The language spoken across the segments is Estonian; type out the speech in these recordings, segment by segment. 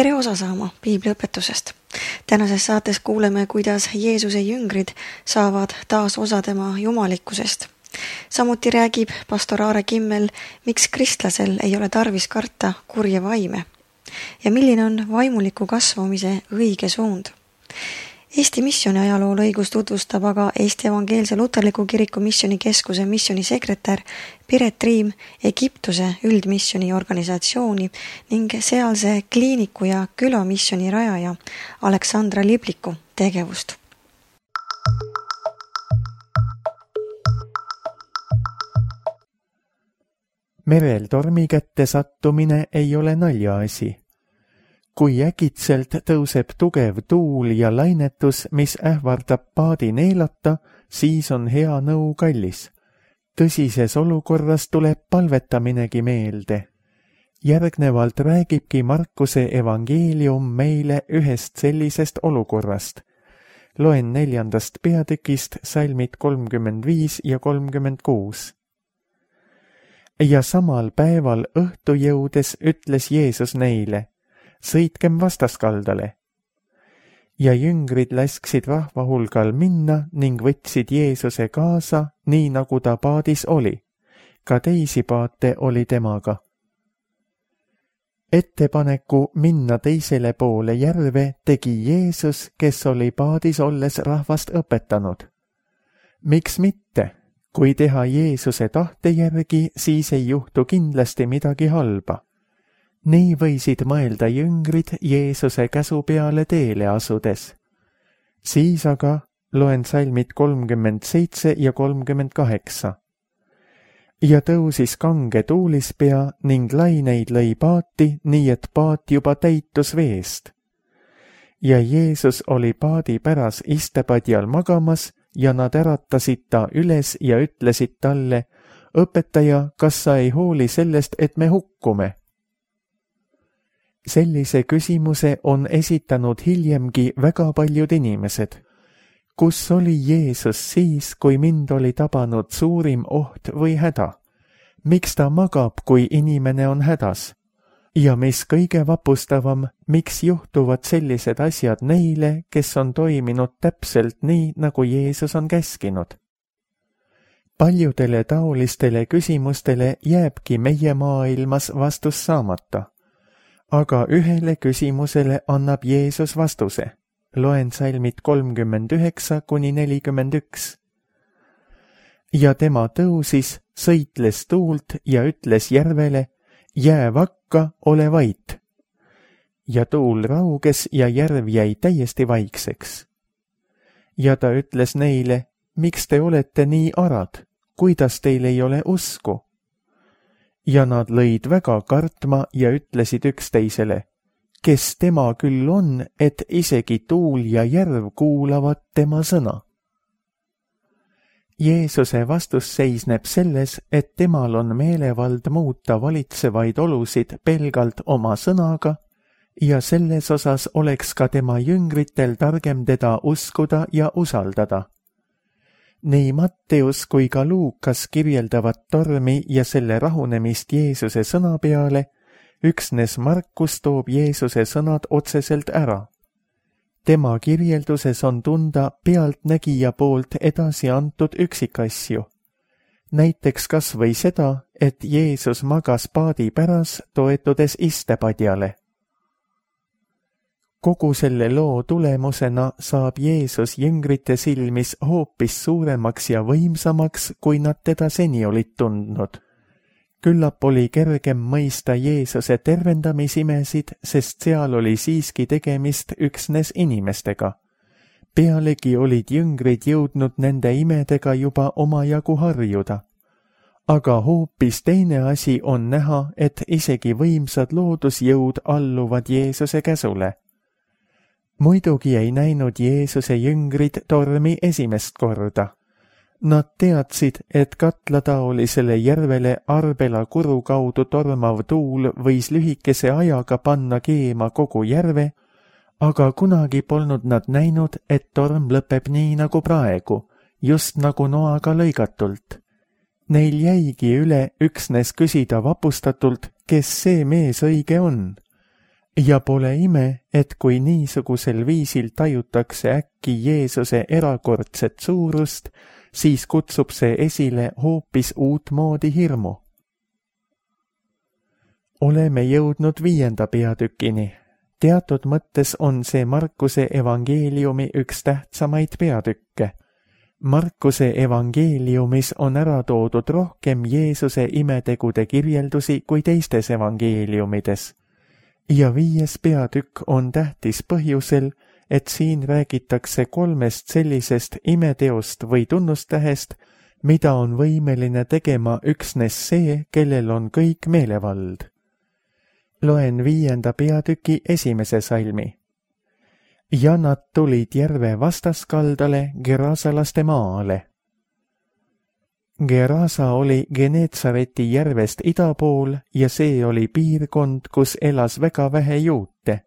Tere osa saama piibliõpetusest. Tänases saates kuuleme, kuidas Jeesuse jüngrid saavad taas osa tema jumalikkusest. Samuti räägib pastor Aare Kimmel, miks kristlasel ei ole tarvis karta kurje vaime ja milline on vaimuliku kasvamise õige suund. Eesti missiooni ajalool õigus tutvustab aga Eesti Evangeelse Luterliku Kiriku missionikeskuse missionisekretär Piret Triim Egiptuse üldmissioni organisatsiooni ning sealse kliiniku ja külamissioni rajaja Aleksandra Libliku tegevust. Merel tormi kätte sattumine ei ole naljaasi. Kui äkitselt tõuseb tugev tuul ja lainetus, mis ähvardab paadi neelata, siis on hea nõu kallis. Tõsises olukorras tuleb palvetaminegi meelde. Järgnevalt räägibki Markuse evangeelium meile ühest sellisest olukorrast. Loen 4. peatükist salmid 35 ja 36. Ja samal päeval õhtu jõudes ütles Jeesus neile, sõitkem vastaskaldale. Ja jüngrid lasksid rahva hulgal minna ning võtsid Jeesuse kaasa, nii nagu ta paadis oli. Ka teisi paate oli temaga. Ettepaneku minna teisele poole järve tegi Jeesus, kes oli paadis olles rahvast õpetanud. Miks mitte? Kui teha Jeesuse tahte järgi, siis ei juhtu kindlasti midagi halba. Nii võisid mõelda jüngrid Jeesuse käsu peale teele asudes. Siis aga loen salmid 37 ja 38. Ja tõusis kange tuulispea ning laineid lõi paati, nii et paat juba täitus veest. Ja Jeesus oli paadi päras istepadjal magamas ja nad äratasid ta üles ja ütlesid talle, õpetaja, kas sa ei hooli sellest, et me hukkume? Sellise küsimuse on esitanud hiljemgi väga paljud inimesed. Kus oli Jeesus siis, kui mind oli tabanud suurim oht või häda? Miks ta magab, kui inimene on hädas? Ja mis kõige vapustavam, miks juhtuvad sellised asjad neile, kes on toiminud täpselt nii, nagu Jeesus on käskinud? Paljudele taolistele küsimustele jääbki meie maailmas vastus saamata. Aga ühele küsimusele annab Jeesus vastuse. Loen salmid 39 kuni 41. Ja tema tõusis, sõitles tuult ja ütles järvele, jää vakka, ole vait. Ja tuul rauges ja järv jäi täiesti vaikseks. Ja ta ütles neile, miks te olete nii arad, kuidas teil ei ole usku? Ja nad lõid väga kartma ja ütlesid üksteisele, kes tema küll on, et isegi tuul ja järv kuulavad tema sõna. Jeesuse vastus seisneb selles, et temal on meelevald muuta valitsevaid olusid pelgalt oma sõnaga ja selles osas oleks ka tema jüngritel targem teda uskuda ja usaldada. Nii Matteus kui ka Luukas kirjeldavad tormi ja selle rahunemist Jeesuse sõna peale, üksnes Markus toob Jeesuse sõnad otseselt ära. Tema kirjelduses on tunda pealtnägija poolt edasi antud üksikasju. Näiteks kas või seda, et Jeesus magas paadi päras, toetudes istepadjale. Kogu selle loo tulemusena saab Jeesus jüngrite silmis hoopis suuremaks ja võimsamaks, kui nad teda seni olid tundnud. Küllap oli kergem mõista Jeesuse tervendamisimesid, sest seal oli siiski tegemist üksnes inimestega. Pealegi olid jüngrid jõudnud nende imedega juba omajagu harjuda. Aga hoopis teine asi on näha, et isegi võimsad loodusjõud alluvad Jeesuse käsule. Muidugi ei näinud Jeesuse jüngrid tormi esimest korda. Nad teadsid, et katlataolisele järvele Arbela kuru kaudu tormav tuul võis lühikese ajaga panna keema kogu järve, aga kunagi polnud nad näinud, et torm lõpeb nii nagu praegu, just nagu noaga lõigatult. Neil jäigi üle üksnes küsida vapustatult, kes see mees õige on. Ja pole ime, et kui niisugusel viisil tajutakse äkki Jeesuse erakordset suurust, siis kutsub see esile hoopis uut moodi hirmu. Oleme jõudnud 5. peatükini. Teatud mõttes on see Markuse evangeeliumi üks tähtsamaid peatükke. Markuse evangeeliumis on ära toodud rohkem Jeesuse imetegude kirjeldusi kui teistes evangeeliumides. Ja 5. peatükk on tähtis põhjusel, et siin räägitakse 3 sellisest imeteost või tunnustähest, mida on võimeline tegema üksnes see, kellel on kõik meelevald. Loen 5. peatüki 1. salmi. Ja nad tulid järve vastaskaldale Gerasalaste maale. Gerasa oli Geneetsareti järvest ida pool ja see oli piirkond, kus elas väga vähe juute.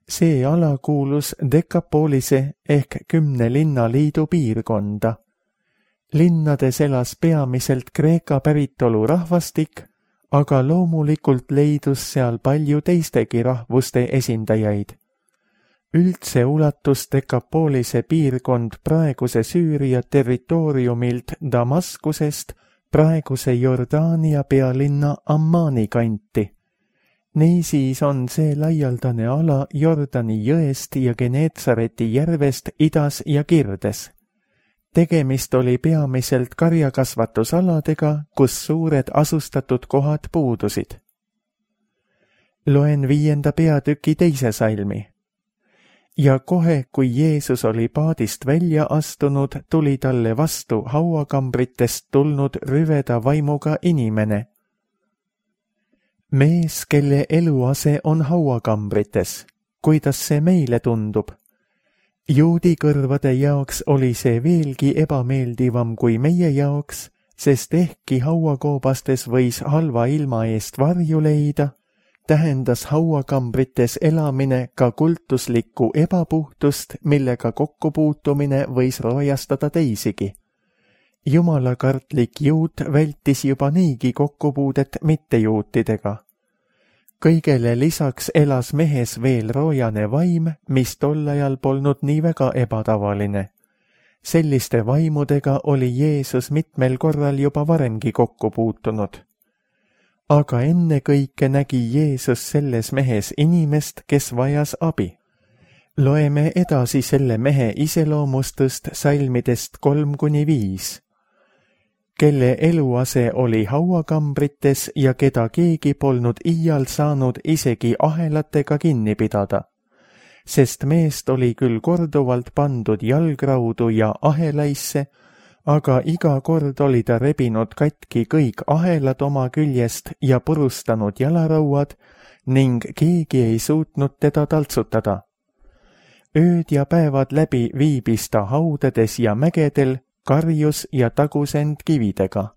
See ala kuulus Dekapolise ehk 10 linnaliidu piirkonda. Linnades elas peamiselt Kreeka päritolu rahvastik, aga loomulikult leidus seal palju teistegi rahvuste esindajaid. Üldse ulatus Dekapolise piirkond praeguse Süüria territooriumilt Damaskusest praeguse Jordaania pealinna Ammani kanti. Niisiis on see laialdane ala Jordani jõest ja Geneetsareti järvest idas ja kirdes. Tegemist oli peamiselt karjakasvatusaladega, kus suured asustatud kohad puudusid. Loen 5. peatüki 2. salmi. Ja kohe, kui Jeesus oli paadist välja astunud, tuli talle vastu hauakambritest tulnud rüveda vaimuga inimene. Mees, kelle eluase on hauakambrites, kuidas see meile tundub? Juudi kõrvade jaoks oli see veelgi ebameeldivam kui meie jaoks, sest ehkki hauakoobastes võis halva ilma eest varju leida, tähendas hauakambrites elamine ka kultuslikku ebapuhtust, millega kokkupuutumine võis roojastada teisigi. Jumalakartlik juut vältis juba niigi kokkupuudet mittejuutidega. Kõigele lisaks elas mehes veel roojane vaim, mis tol ajal polnud nii väga ebatavaline. Selliste vaimudega oli Jeesus mitmel korral juba varemgi kokku puutunud. Aga ennekõike nägi Jeesus selles mehes inimest, kes vajas abi. Loeme edasi selle mehe iseloomustust salmidest 3-5. Kelle eluase oli hauakambrites ja keda keegi polnud iial saanud isegi ahelatega kinni pidada, sest meest oli küll korduvalt pandud jalgraudu ja ahelaisse, aga iga kord oli ta rebinud katki kõik ahelad oma küljest ja purustanud jalarauad ning keegi ei suutnud teda taltsutada. Ööd ja päevad läbi viibis ta haudades ja mägedel, karjus ja tagus end kividega.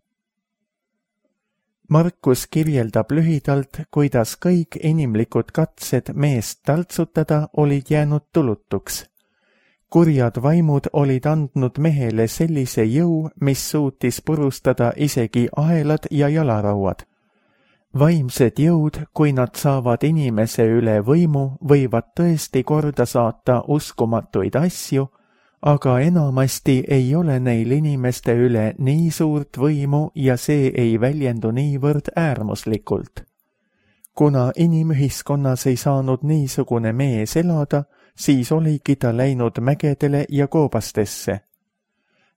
Markus kirjeldab lühidalt, kuidas kõik inimlikud katsed meest taltsutada olid jäänud tulutuks. Kurjad vaimud olid andnud mehele sellise jõu, mis suutis purustada isegi ahelad ja jalarauad. Vaimsed jõud, kui nad saavad inimese üle võimu, võivad tõesti korda saata uskumatuid asju, aga enamasti ei ole neil inimeste üle nii suurt võimu ja see ei väljendu niivõrd äärmuslikult. Kuna inimühiskonnas ei saanud niisugune mees elada, siis oligi ta läinud mägedele ja koobastesse.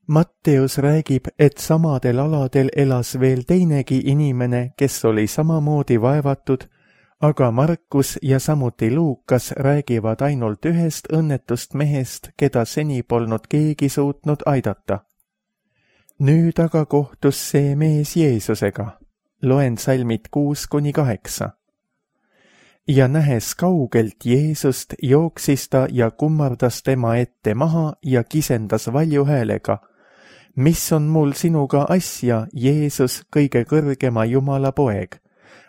Matteus räägib, et samadel aladel elas veel teinegi inimene, kes oli samamoodi vaevatud, aga Markus ja samuti Luukas räägivad ainult ühest õnnetust mehest, keda seni polnud keegi suutnud aidata. Nüüd aga kohtus see mees Jeesusega. Loen salmid 6-8. Ja nähes kaugelt Jeesust, jooksis ta ja kummardas tema ette maha ja kisendas valju häälega. Mis on mul sinuga asja, Jeesus, kõige kõrgema Jumala poeg?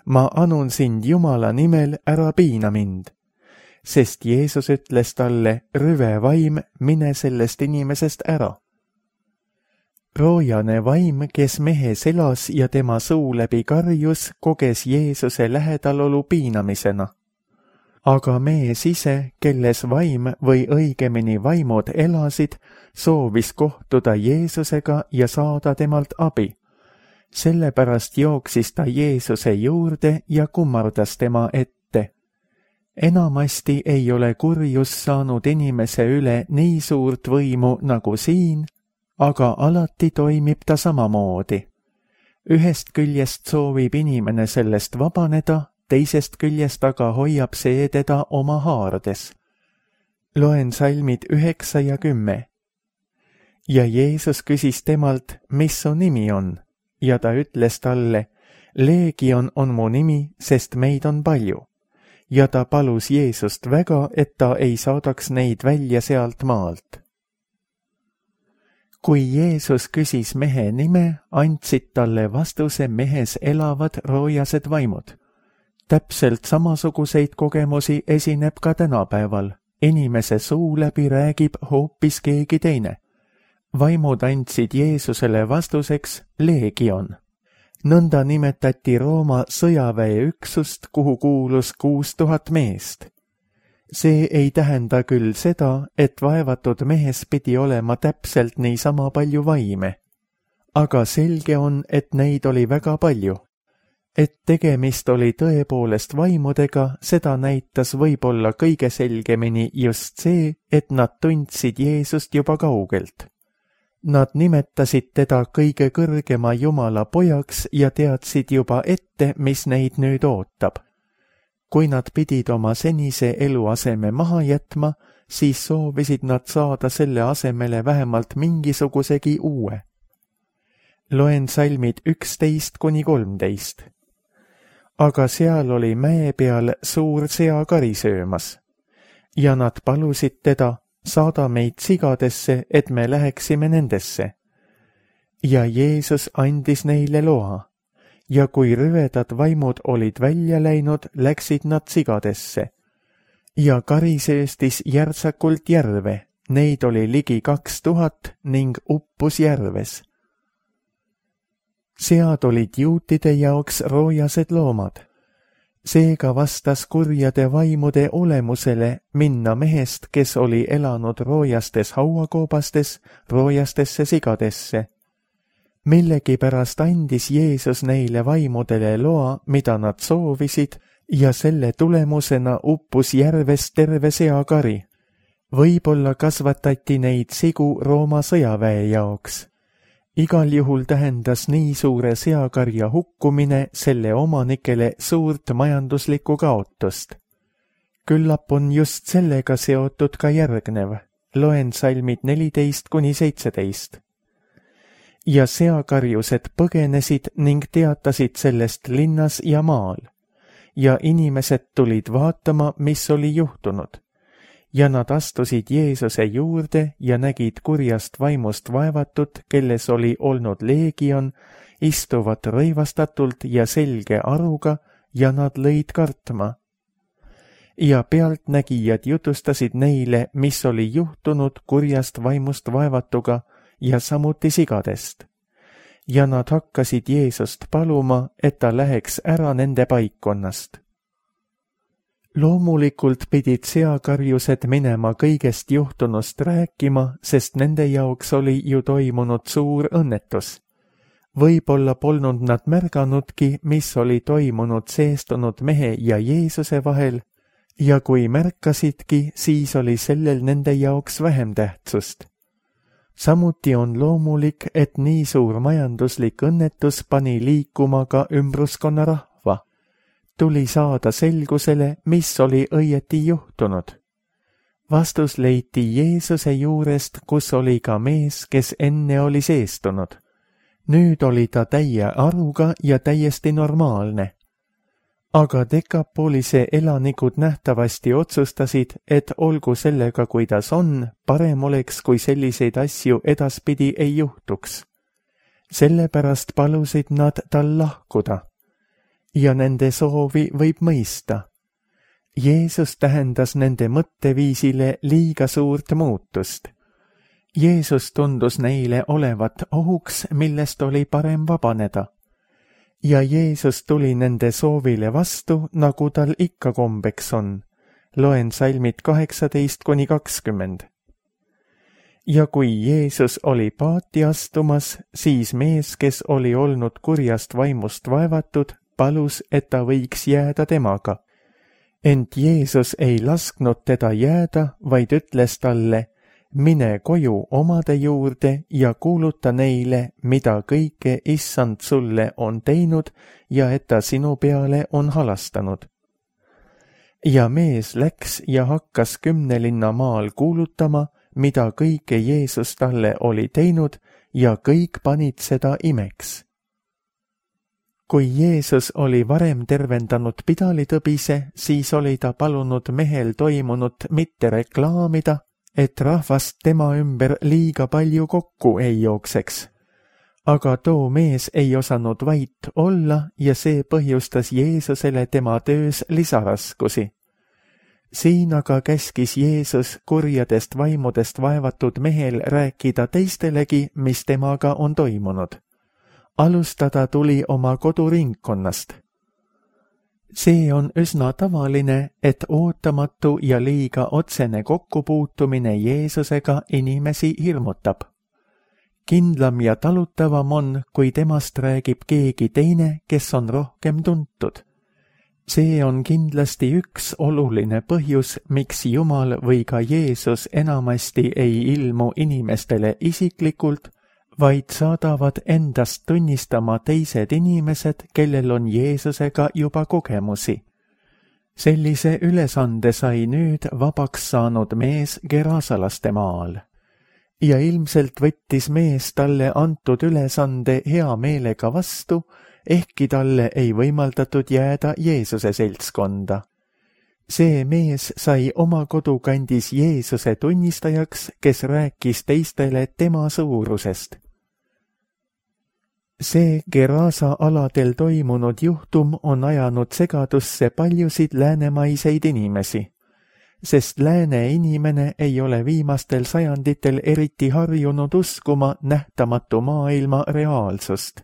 Ma anun sind Jumala nimel, ära piina mind. Sest Jeesus ütles talle, rüve vaim, mine sellest inimesest ära. Roojane vaim, kes mehes elas ja tema suu läbi karjus, koges Jeesuse lähedalolu piinamisena. aga mees ise, kelles vaim või õigemini vaimud elasid, soovis kohtuda Jeesusega ja saada temalt abi. Sellepärast jooksis ta Jeesuse juurde ja kummardas tema ette. Enamasti ei ole kurjus saanud inimese üle nii suurt võimu nagu siin, aga alati toimib ta samamoodi. Ühest küljest soovib inimene sellest vabaneda, teisest küljest aga hoiab see teda oma haardes. Loen salmid 9 ja 10. Ja Jeesus küsis temalt, mis su nimi on, ja ta ütles talle, Leegion on mu nimi, sest meid on palju. Ja ta palus Jeesust väga, et ta ei saadaks neid välja sealt maalt. Kui Jeesus küsis mehe nime, andsid talle vastuse mehes elavad roojased vaimud. Täpselt samasuguseid kogemusi esineb ka tänapäeval. Inimese suu läbi räägib hoopis keegi teine. Vaimud andsid Jeesusele vastuseks Leegion. Nõnda nimetati Rooma sõjaväeüksust, kuhu kuulus 6000 meest. See ei tähenda küll seda, et vaevatud mehes pidi olema täpselt niisama palju vaime. Aga selge on, et neid oli väga palju. Et tegemist oli tõepoolest vaimudega, seda näitas võib-olla kõige selgemini just see, et nad tundsid Jeesust juba kaugelt. Nad nimetasid teda kõige kõrgema Jumala pojaks ja teadsid juba ette, mis neid nüüd ootab. Kui nad pidid oma senise eluaseme maha jätma, siis soovisid nad saada selle asemele vähemalt mingisugusegi uue. Loen salmid 11–13. Aga seal oli mäe peal suur seakari söömas. Ja nad palusid teda, saada meid sigadesse, et me läheksime nendesse. Ja Jeesus andis neile loa. Ja kui rüvedad vaimud olid välja läinud, läksid nad sigadesse. Ja kari sööstis järtsakult järve, neid oli ligi 2000 ning uppus järves. Sead olid juutide jaoks roojased loomad. Seega vastas kurjade vaimude olemusele minna mehest, kes oli elanud roojastes hauakoobastes, roojastesse sigadesse. Millegipärast andis Jeesus neile vaimudele loa, mida nad soovisid, ja selle tulemusena uppus järves terve seakari. Võib-olla kasvatati neid sigu Rooma sõjaväe jaoks. Igal juhul tähendas nii suure seakarja hukkumine selle omanikele suurt majanduslikku kaotust. Küllap on just sellega seotud ka järgnev. Loen salmid 14–17. Ja seakarjused põgenesid ning teatasid sellest linnas ja maal. Ja inimesed tulid vaatama, mis oli juhtunud. Ja nad astusid Jeesuse juurde ja nägid kurjast vaimust vaevatut, kelles oli olnud leegion, istuvat rõivastatult ja selge aruga, ja nad lõid kartma. Ja pealtnägijad jutustasid neile, mis oli juhtunud kurjast vaimust vaevatuga ja samuti sigadest. Ja nad hakkasid Jeesust paluma, et ta läheks ära nende paikkonnast. Loomulikult pidid seakarjused minema kõigest juhtunust rääkima, sest nende jaoks oli ju toimunud suur õnnetus. Võib-olla polnud nad märganudki, mis oli toimunud seestunud mehe ja Jeesuse vahel, ja kui märkasidki, siis oli sellel nende jaoks vähem tähtsust. Samuti on loomulik, et nii suur majanduslik õnnetus pani liikuma ka ümbruskonna rahva. Tuli saada selgusele, mis oli õieti juhtunud. Vastus leiti Jeesuse juurest, kus oli ka mees, kes enne oli seestunud. Nüüd oli ta täie aruga ja täiesti normaalne. Aga Dekapolise elanikud nähtavasti otsustasid, et olgu sellega, kuidas on, parem oleks, kui selliseid asju edaspidi ei juhtuks. Sellepärast palusid nad tal lahkuda. Ja nende soovi võib mõista. Jeesus tähendas nende mõtteviisile liiga suurt muutust. Jeesus tundus neile olevat ohuks, millest oli parem vabaneda. Ja Jeesus tuli nende soovile vastu, nagu tal ikka kombeks on. loen salmid 18-20. Ja kui Jeesus oli paati astumas, siis mees, kes oli olnud kurjast vaimust vaevatud, palus, et ta võiks jääda temaga. Ent Jeesus ei lasknud teda jääda, vaid ütles talle, mine koju omade juurde ja kuuluta neile, mida kõike Issand sulle on teinud ja et ta sinu peale on halastanud. Ja mees läks ja hakkas 10 linna maal kuulutama, mida kõike Jeesus talle oli teinud ja kõik panid seda imeks. Kui Jeesus oli varem tervendanud pidalitõbise, siis oli ta palunud mehel toimunut mitte reklaamida, et rahvast tema ümber liiga palju kokku ei jookseks. Aga too mees ei osanud vait olla ja see põhjustas Jeesusele tema töös lisaraskusi. Siin aga käskis Jeesus kurjadest vaimudest vaevatud mehel rääkida teistelegi, mis temaga on toimunud. Alustada tuli oma koduringkonnast. See on üsna tavaline, et ootamatu ja liiga otsene kokkupuutumine Jeesusega inimesi hirmutab. Kindlam ja talutavam on, kui temast räägib keegi teine, kes on rohkem tuntud. See on kindlasti üks oluline põhjus, miks Jumal või ka Jeesus enamasti ei ilmu inimestele isiklikult, vaid saadavad endast tunnistama teised inimesed, kellel on Jeesusega juba kogemusi. Sellise ülesande sai nüüd vabaks saanud mees Gerasalaste maal. Ja ilmselt võttis mees talle antud ülesande hea meelega vastu, ehkki talle ei võimaldatud jääda Jeesuse seltskonda. See mees sai oma kodukandis Jeesuse tunnistajaks, kes rääkis teistele tema suurusest. See Gerasa aladel toimunud juhtum on ajanud segadusse paljusid läänemaiseid inimesi, sest lääne inimene ei ole viimastel sajanditel eriti harjunud uskuma nähtamatu maailma reaalsust.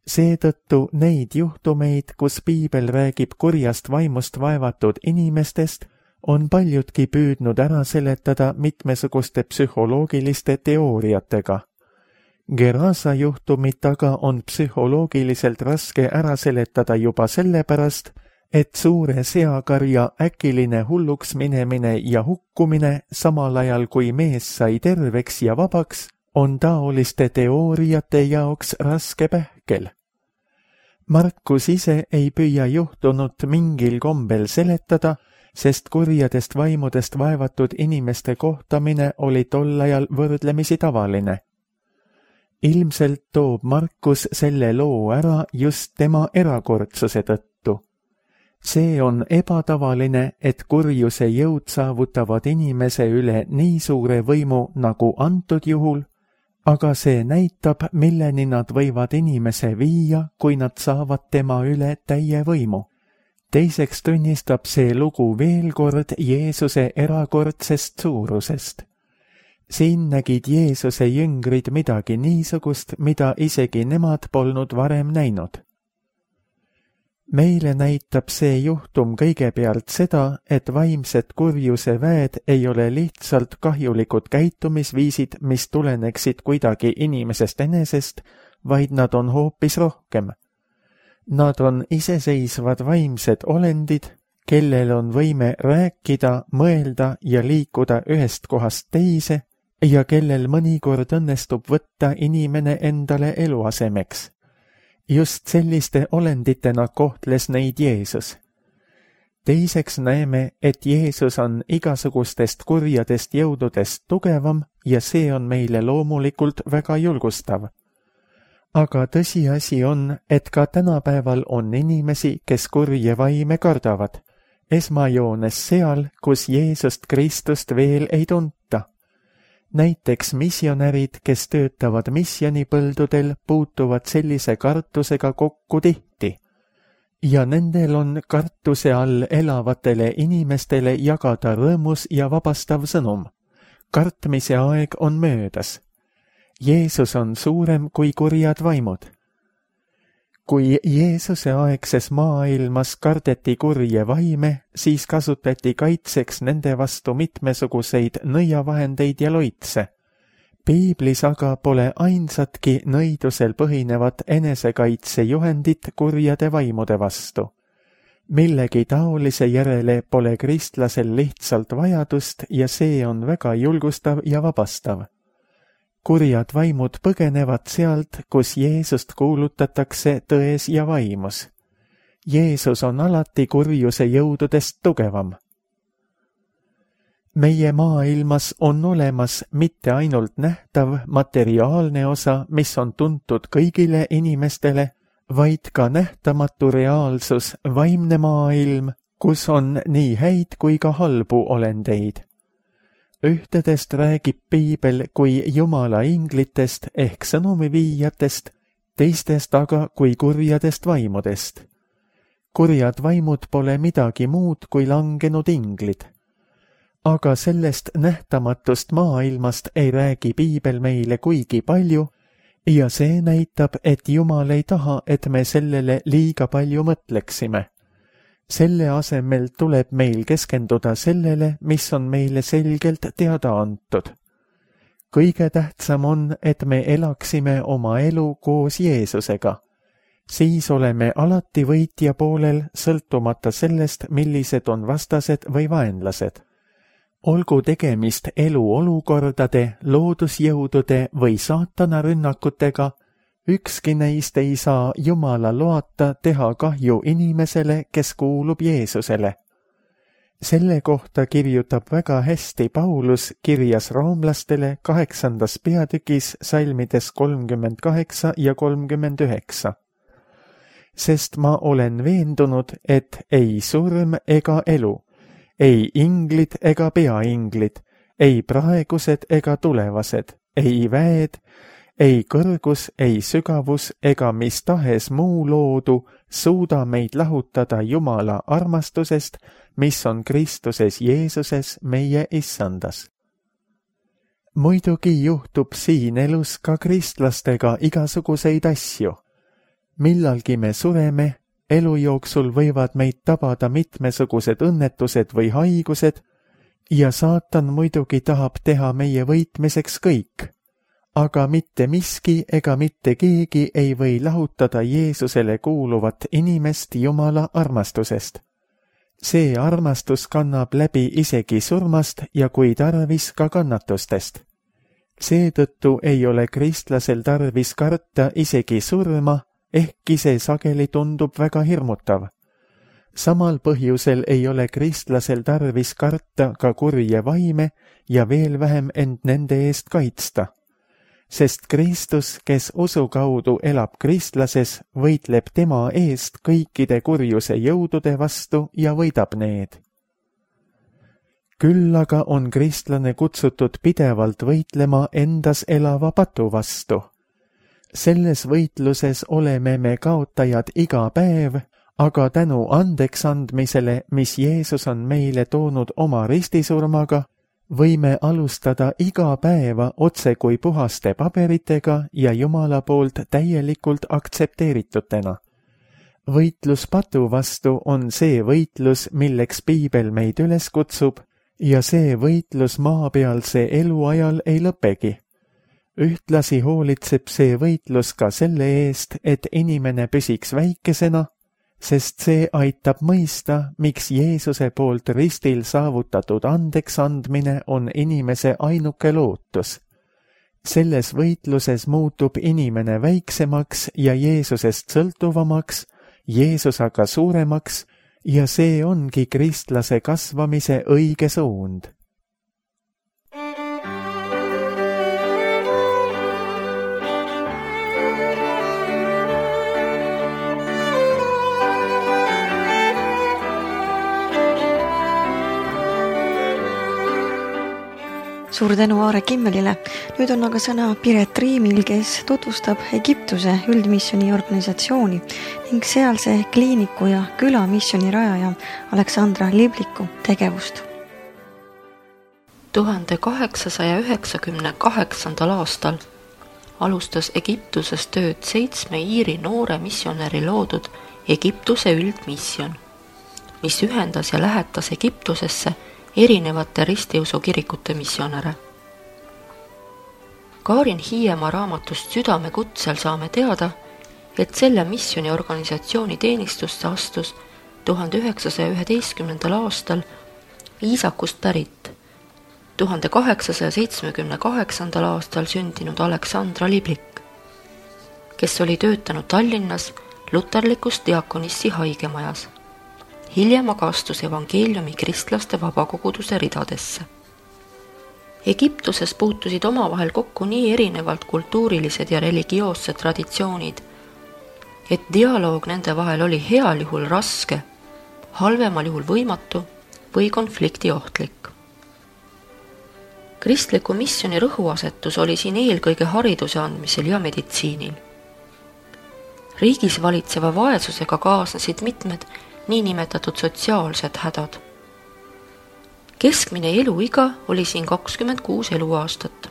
Seetõttu neid juhtumeid, kus piibel räägib kurjast vaimust vaevatud inimestest, on paljudki püüdnud ära seletada mitmesuguste psühholoogiliste teooriatega. Gerasa juhtumit aga on psühholoogiliselt raske ära seletada juba sellepärast, et suure seakarja äkiline hulluks minemine ja hukkumine, samal ajal kui mees sai terveks ja vabaks, on taoliste teooriate jaoks raske pähkel. Markus ise ei püüa juhtunut mingil kombel seletada, sest kurjadest vaimudest vaevatud inimeste kohtamine oli tol ajal võrdlemisi tavaline. Ilmselt toob Markus selle loo ära just tema erakordsuse tõttu. See on ebatavaline, et kurjuse jõud saavutavad inimese üle nii suure võimu nagu antud juhul, aga see näitab, milleni nad võivad inimese viia, kui nad saavad tema üle täie võimu. Teiseks tunnistab see lugu veel kord Jeesuse erakordsest suurusest. Siin nägid Jeesuse jüngrid midagi niisugust, mida isegi nemad polnud varem näinud. Meile näitab see juhtum kõigepealt seda, et vaimsed kurjuse väed ei ole lihtsalt kahjulikud käitumisviisid, mis tuleneksid kuidagi inimesest enesest, vaid nad on hoopis rohkem. Nad on iseseisvad vaimsed olendid, kellel on võime rääkida, mõelda ja liikuda ühest kohast teise ja kellel mõnikord õnnestub võtta inimene endale eluasemeks. Just selliste olenditena kohtles neid Jeesus. Teiseks näeme, et Jeesus on igasugustest kurjadest jõududest tugevam ja see on meile loomulikult väga julgustav. Aga tõsiasi on, et ka tänapäeval on inimesi, kes kurje vaime kardavad, esmajoones seal, kus Jeesust Kristust veel ei tunta. Näiteks missionärid, kes töötavad missionipõldudel, puutuvad sellise kartusega kokku tihti. Ja nendel on kartuse all elavatele inimestele jagada rõõmus ja vabastav sõnum. Kartmise aeg on möödas. Jeesus on suurem kui kurjad vaimud. Kui Jeesuse aegses maailmas kardeti kurje vaime, siis kasutati kaitseks nende vastu mitmesuguseid nõiavahendeid ja loitse. Piiblis aga pole ainsatki nõidusel põhinevat enesekaitsejuhendit kurjade vaimude vastu. Millegi taolise järele pole kristlasel lihtsalt vajadust ja see on väga julgustav ja vabastav. Kurjad vaimud põgenevad sealt, kus Jeesust kuulutatakse tões ja vaimus. Jeesus on alati kurjuse jõududest tugevam. Meie maailmas on olemas mitte ainult nähtav materiaalne osa, mis on tuntud kõigile inimestele, vaid ka nähtamatu reaalsus, vaimne maailm, kus on nii häid kui ka halbu olendeid. Ühtedest räägib Piibel kui Jumala inglitest ehk sõnumiviijatest, teistest aga kui kurjadest vaimudest. Kurjad vaimud pole midagi muud kui langenud inglid. Aga sellest nähtamatust maailmast ei räägi Piibel meile kuigi palju ja see näitab, et Jumal ei taha, et me sellele liiga palju mõtleksime. Selle asemel tuleb meil keskenduda sellele, mis on meile selgelt teada antud. Kõige tähtsam on, et me elaksime oma elu koos Jeesusega. Siis oleme alati võitja poolel, sõltumata sellest, millised on vastased või vaenlased. Olgu tegemist eluolukordade, loodusjõudude või saatana rünnakutega, ükski neist ei saa Jumala loata teha kahju inimesele, kes kuulub Jeesusele. Selle kohta kirjutab väga hästi Paulus kirjas roomlastele 8. peatükis salmides 38 ja 39. Sest ma olen veendunud, et ei surm ega elu, ei inglid ega peainglid, ei praegused ega tulevased, ei väed, ei kõrgus, ei sügavus ega mis tahes muu loodu suuda meid lahutada Jumala armastusest, mis on Kristuses Jeesuses meie issandas. Muidugi juhtub siin elus ka kristlastega igasuguseid asju. Millalgi me sureme, elu jooksul võivad meid tabada mitmesugused õnnetused või haigused ja saatan muidugi tahab teha meie võitmiseks kõik. Aga mitte miski ega mitte keegi ei või lahutada Jeesusele kuuluvat inimest Jumala armastusest. See armastus kannab läbi isegi surmast ja kui tarvis ka kannatustest. Seetõttu ei ole kristlasel tarvis karta isegi surma, ehkki see sageli tundub väga hirmutav. Samal põhjusel ei ole kristlasel tarvis karta ka kurje vaime ja veel vähem end nende eest kaitsta. Sest Kristus, kes usu kaudu elab kristlases, võitleb tema eest kõikide kurjuse jõudude vastu ja võidab need. Küll aga on kristlane kutsutud pidevalt võitlema endas elava patu vastu. Selles võitluses oleme me kaotajad iga päev, aga tänu andeks andmisele, mis Jeesus on meile toonud oma ristisurmaga, võime alustada iga päeva otse kui puhaste paberitega ja Jumala poolt täielikult aktsepteeritutena. Võitlus patu vastu on see võitlus, milleks Piibel meid üles kutsub ja see võitlus maapealse eluajal ei lõpegi. Ühtlasi hoolitseb see võitlus ka selle eest, et inimene püsiks väikesena, sest see aitab mõista, miks Jeesuse poolt ristil saavutatud andeks andmine on inimese ainuke lootus. Selles võitluses muutub inimene väiksemaks ja Jeesusest sõltuvamaks, Jeesus aga suuremaks ja see ongi kristlase kasvamise õige suund. Suur tänu Aare Kimmelile. Nüüd on aga sõna Piret Riimil, kes tutvustab Egiptuse üldmisjoni organisatsiooni ning sealse kliiniku ja külamisjoni rajaja Aleksandra Libliku tegevust. 1898. aastal alustas Egiptuses tööd 7 Iiri noore missionäri loodud Egiptuse üldmisjon, mis ühendas ja lähetas Egiptusesse erinevate ristiusu kirikute missionäre. Kaarin Hiiemaa raamatust Südame kutsel saame teada, et selle missioni organisatsiooni teenistusse astus 1911. aastal Iisakust pärit 1878. aastal sündinud Aleksandra Liblik, kes oli töötanud Tallinnas luterlikus diakonissi haigemajas. Hiljem aga astus evangeeliumi kristlaste vabakoguduse ridadesse. Egiptuses puutusid omavahel kokku nii erinevalt kultuurilised ja religioossed traditsioonid, et dialoog nende vahel oli heal juhul raske, halvemal juhul võimatu või konflikti ohtlik. Kristliku missioni rõhuasetus oli siin eelkõige hariduse andmisel ja meditsiinil. Riigis valitseva vaesusega kaasnesid mitmed niinimetatud sotsiaalsed hädad. Keskmine eluiga oli siin 26 eluaastat.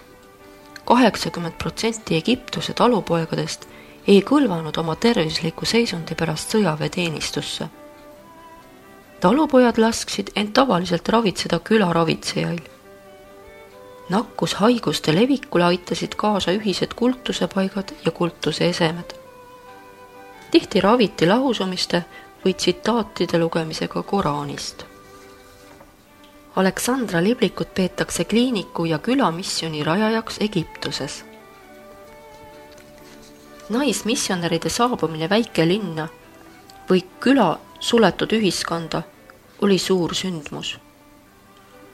80% Egiptuse talupoegadest ei kõlvanud oma tervisliku seisundi pärast sõjaväeteenistusse. Talupojad lasksid end tavaliselt ravitseda külaravitsejail. Nakkushaiguste levikule aitasid kaasa ühised kultusepaigad ja kultuse esemed. Tihti raviti lahusumiste või tsitaatide lugemisega Koraanist. Aleksandra Liblikut peetakse kliiniku ja külamisjoni rajajaks Egiptuses. Naismissionäride saabumine väikelinna või küla suletud ühiskonda oli suur sündmus.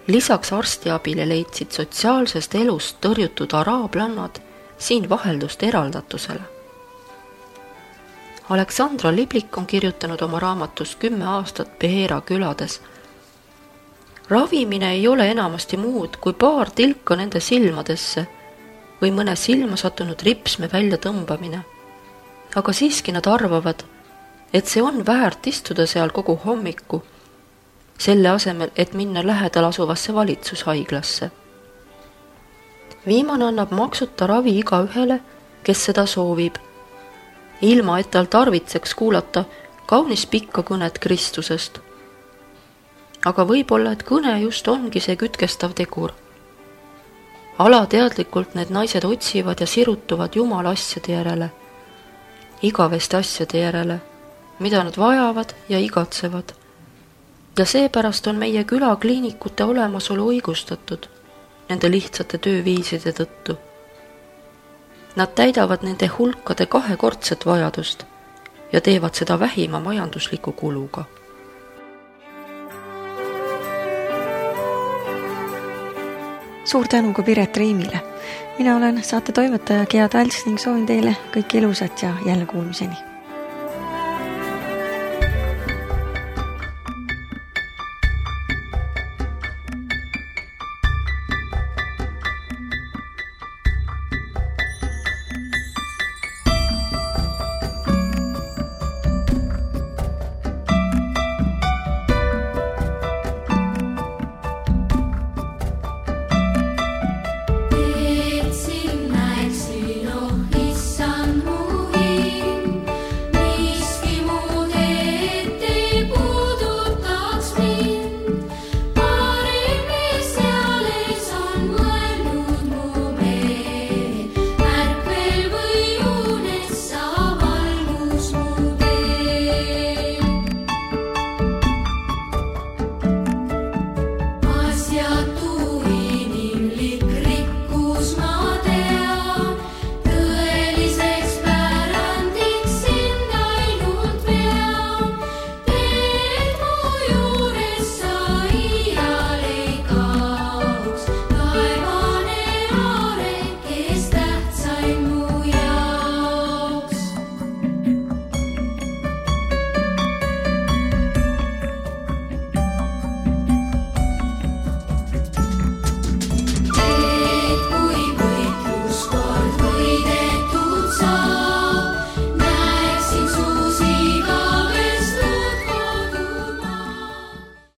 Lisaks arstiabile leidsid sotsiaalsest elust tõrjutud araablannad siin vaheldust eraldatusele. Aleksandra Liblik on kirjutanud oma raamatus 10 aastat Beheera külades. Ravimine ei ole enamasti muud kui paar tilka nende silmadesse või mõne silma sattunud ripsme välja tõmbamine. Aga siiski nad arvavad, et see on väärt istuda seal kogu hommiku, selle asemel, et minna lähedal asuvasse valitsushaiglasse. Viimane annab maksuta ravi igaühele, kes seda soovib, ilma et tal tarvitseks kuulata kaunis pikka kõnet Kristusest. Aga võib-olla, et kõne just ongi see kütkestav tegur. Alateadlikult need naised otsivad ja sirutuvad Jumala asjade järele, igaveste asjade järele, mida nad vajavad ja igatsevad. Ja seepärast on meie külakliinikute olemasolu õigustatud nende lihtsate tööviiside tõttu. Nad täidavad nende hulkade kahekordset vajadust ja teevad seda vähima majandusliku kuluga. Suur tänu ka Piret Riimile. Mina olen saate toimetaja Gea Talts ning soovin teile kõike ilusat ja jälle kuulmiseni.